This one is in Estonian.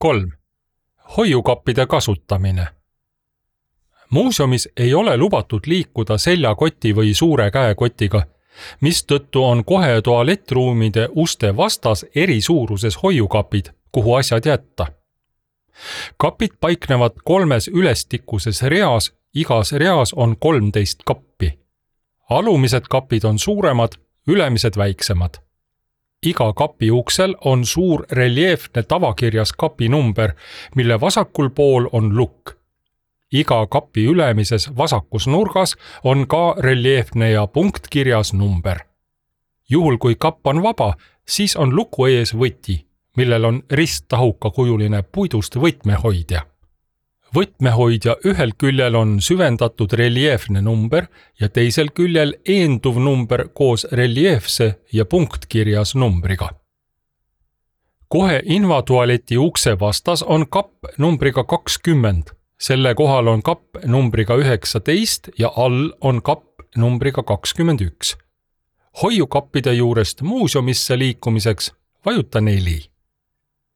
3. Hoiukappide kasutamine. Muuseumis ei ole lubatud liikuda seljakoti või suure käekotiga, mistõttu on kohe tualettruumide uste vastas eri suuruses hoiukapid, kuhu asjad jätta. Kapid paiknevad 3 ülestikuses reas, igas reas on 13 kappi. Alumised kapid on suuremad, ülemised väiksemad. Iga kapi uksel on suur reljeefne tavakirjas kapi number, mille vasakul pool on lukk. Iga kapi ülemises vasakus nurgas on ka reljeefne ja punktkirjas number. Juhul kui kapp on vaba, siis on luku ees võti, millel on risttahukakujuline puidust võtmehoidja. Võtmehoidja ühel küljel on süvendatud reljeefne number ja teisel küljel eenduv number koos reljeefse ja punktkirjas numbriga. Kohe invatualeti ukse vastas on kapp numbriga 20. Selle kohal on kapp numbriga 19 ja all on kapp numbriga 21. Hoiukappide juurest muuseumisse liikumiseks vajuta 4.